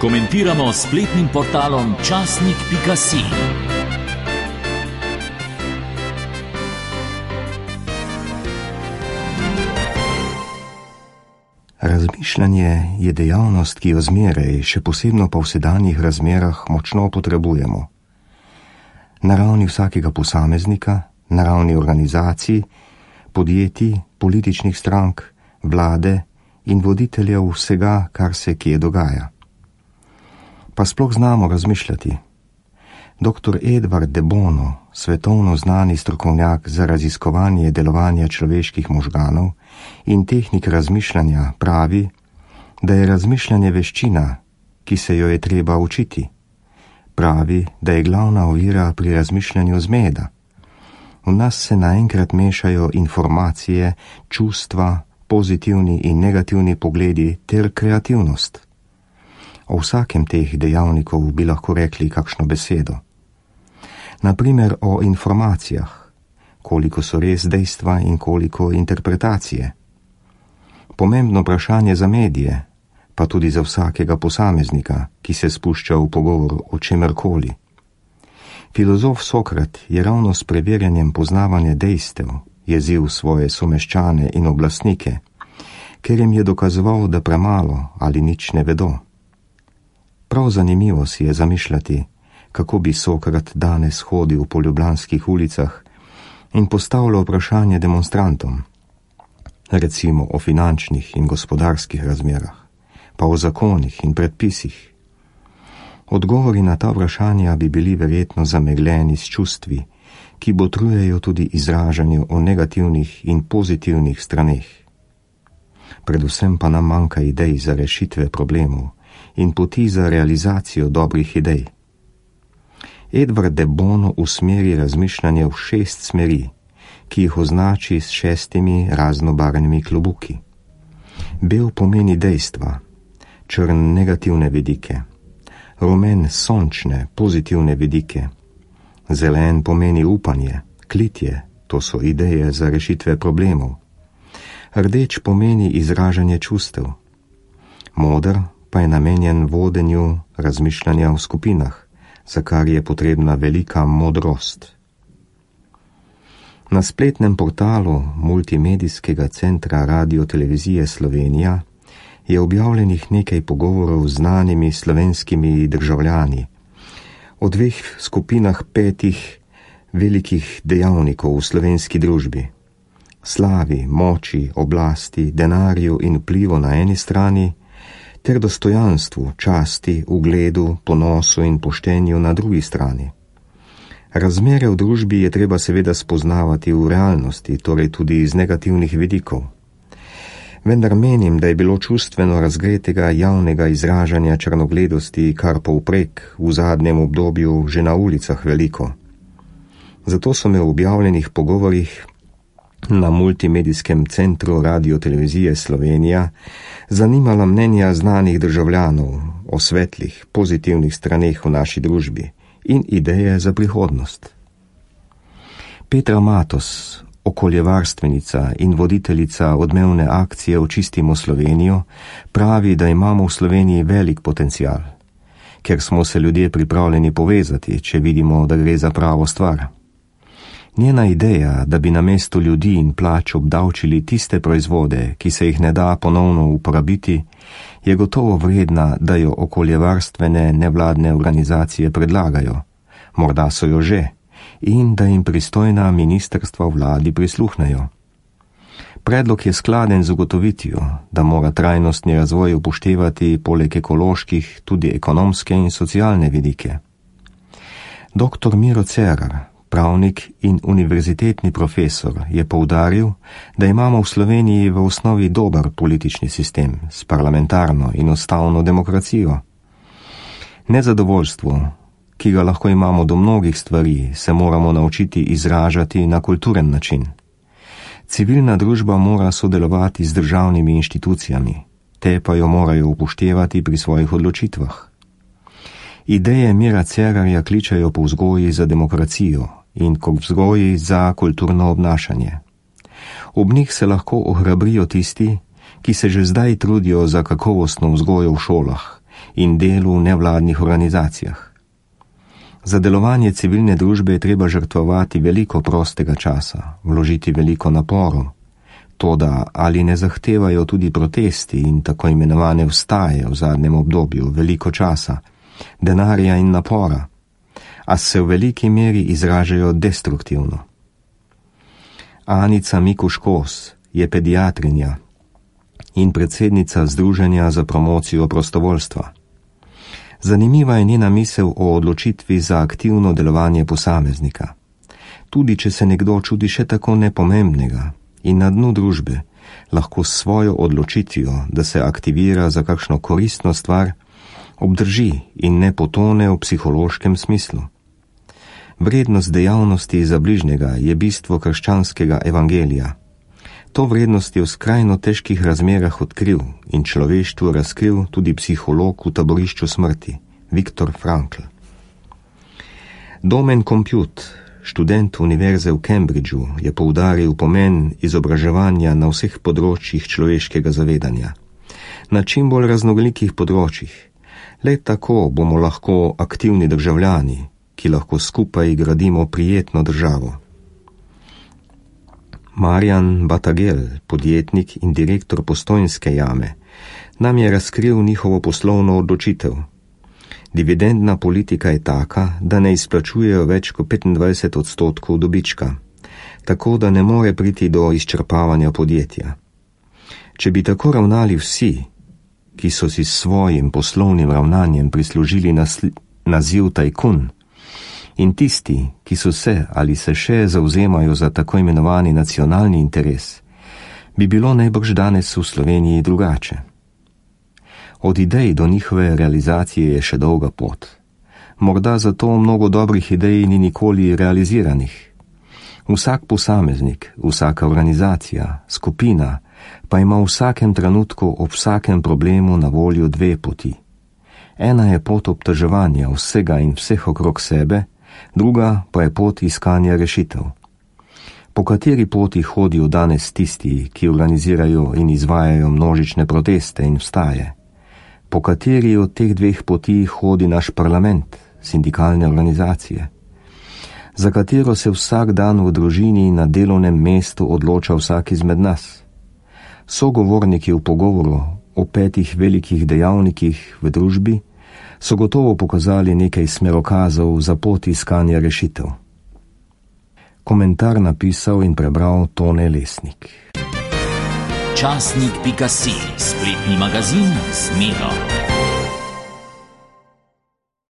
Komentiramo s spletnim portalom časnik.si. Razmišljanje je dejavnost, ki jo zmeraj, še posebno pa v sedanjih razmerah, močno potrebujemo. Na ravni vsakega posameznika, na ravni organizacij, podjetij, političnih strank, vlade in voditeljev vsega, kar se kje dogaja. Pa sploh znamo razmišljati. Dr. Edward de Bono, svetovno znani strokovnjak za raziskovanje delovanja človeških možganov in tehnik razmišljanja, pravi, da je razmišljanje veščina, ki se jo je treba učiti. Pravi, da je glavna ovira pri razmišljanju zmeda. V nas se naenkrat mešajo informacije, čustva, pozitivni in negativni pogledi ter kreativnost. O vsakem teh dejavnikov bi lahko rekli kakšno besedo. Naprimer o informacijah, koliko so res dejstva in koliko interpretacije. Pomembno vprašanje za medije, pa tudi za vsakega posameznika, ki se spušča v pogovor o čemerkoli. Filozof Sokrat je ravno s preverjanjem poznavanja dejstev jezil svoje someščane in oblastnike, ker jim je dokazoval, da premalo ali nič ne vedo. Prav zanimivo si je zamišljati, kako bi Sokrat danes hodil po ljubljanskih ulicah in postavljal vprašanje demonstrantom, recimo o finančnih in gospodarskih razmerah, pa o zakonih in predpisih. Odgovori na ta vprašanja bi bili verjetno zamegljeni s čustvi, ki botrujejo tudi izražanju o negativnih in pozitivnih straneh. Predvsem pa nam manjka idej za rešitve problemov in poti za realizacijo dobrih idej. Edward de Bono usmeri razmišljanje v 6 smeri, ki jih označi s 6 raznobarvnimi klobuki. Bel pomeni dejstva, črn negativne vidike, rumen sončne, pozitivne vidike, zelen pomeni upanje, klitje, to so ideje za rešitve problemov, rdeč pomeni izražanje čustev, moder pa je namenjen vodenju razmišljanja v skupinah, za kar je potrebna velika modrost. Na spletnem portalu Multimedijskega centra Radio-televizije Slovenija je objavljenih nekaj pogovorov z znanimi slovenskimi državljani o 2 skupinah 5 velikih dejavnikov v slovenski družbi: slavi, moči, oblasti, denarju in vplivu na eni strani, ter dostojanstvu, časti, ugledu, ponosu in poštenju na drugi strani. Razmere v družbi je treba seveda spoznavati v realnosti, torej tudi iz negativnih vidikov. Vendar menim, da je bilo čustveno razgretega javnega izražanja črnogledosti kar povprek v zadnjem obdobju že na ulicah veliko. Zato so me v objavljenih pogovorih na Multimedijskem centru Radio-televizije Slovenija zanimala mnenja znanih državljanov o svetlih, pozitivnih straneh v naši družbi in ideje za prihodnost. Petra Matos, okoljevarstvenica in voditeljica odmevne akcije Očistimo Slovenijo, pravi, da imamo v Sloveniji velik potencial, ker smo se ljudje pripravljeni povezati, če vidimo, da gre za pravo stvar. Njena ideja, da bi namesto ljudi in plač obdavčili tiste proizvode, ki se jih ne da ponovno uporabiti, je gotovo vredna, da jo okoljevarstvene nevladne organizacije predlagajo, morda so jo že, in da jim pristojna ministrstva v vladi prisluhnejo. Predlog je skladen z ugotovitvijo, da mora trajnostni razvoj upoštevati poleg ekoloških tudi ekonomske in socialne vidike. Dr. Miro Cerar, pravnik in univerzitetni profesor, je poudaril, da imamo v Sloveniji v osnovi dober politični sistem s parlamentarno in ustavno demokracijo. Nezadovoljstvo, ki ga lahko imamo do mnogih stvari, se moramo naučiti izražati na kulturen način. Civilna družba mora sodelovati z državnimi inštitucijami, te pa jo morajo upoštevati pri svojih odločitvah. Ideje Mira Cerarja kličajo po vzgoji za demokracijo in kot vzgoji za kulturno obnašanje. Ob njih se lahko ohrabrijo tisti, ki se že zdaj trudijo za kakovostno vzgojo v šolah in delu v nevladnih organizacijah. Za delovanje civilne družbe je treba žrtvovati veliko prostega časa, vložiti veliko naporov, toda ali ne zahtevajo tudi protesti in tako imenovane vstaje v zadnjem obdobju veliko časa, denarja in napora, a se v veliki meri izražajo destruktivno. Anica Mikuš-Kos je pediatrinja in predsednica Združenja za promocijo prostovoljstva. Zanimiva je njena misel o odločitvi za aktivno delovanje posameznika. Tudi če se nekdo čudi še tako nepomembnega in na dnu družbe, lahko s svojo odločitvijo, da se aktivira za kakšno koristno stvar, obdrži in ne potone v psihološkem smislu. Vrednost dejavnosti za bližnjega je bistvo krščanskega evangelija. To vrednost je v skrajno težkih razmerah odkril in človeštvu razkril tudi psiholog v taborišču smrti, Viktor Frankl. Domen Compute, študent univerze v Cambridgeu, je poudaril pomen izobraževanja na vseh področjih človeškega zavedanja. Na čim bolj raznolikih področjih. Le tako bomo lahko aktivni državljani, ki lahko skupaj gradimo prijetno državo. Marjan Batagel, podjetnik in direktor Postojnske jame, nam je razkril njihovo poslovno odločitev. Dividendna politika je taka, da ne izplačujejo več kot 25% dobička, tako da ne more priti do izčrpavanja podjetja. Če bi tako ravnali vsi, ki so si s svojim poslovnim ravnanjem prislužili naziv tajkun, in tisti, ki so se ali se še zauzemajo za tako imenovani nacionalni interes, bi bilo najbrž danes v Sloveniji drugače. Od idej do njihove realizacije je še dolga pot. Morda zato mnogo dobrih idej ni nikoli realiziranih. Vsak posameznik, vsaka organizacija, skupina pa ima v vsakem trenutku ob vsakem problemu na voljo dve poti. Ena je pot obtoževanja vsega in vseh okrog sebe, druga pa je pot iskanja rešitev. Po kateri poti hodijo danes tisti, ki organizirajo in izvajajo množične proteste in vstaje? Po kateri od teh dveh poti hodi naš parlament, sindikalne organizacije? Za katero se vsak dan v družini na delovnem mestu odloča vsak izmed nas? Sogovorniki v pogovoru o 5 velikih dejavnikih v družbi so gotovo pokazali nekaj smerokazov za pot iskanja rešitev. Komentar napisal in prebral Tone Lesnik. Časnik.si, spletni magazin z Miro.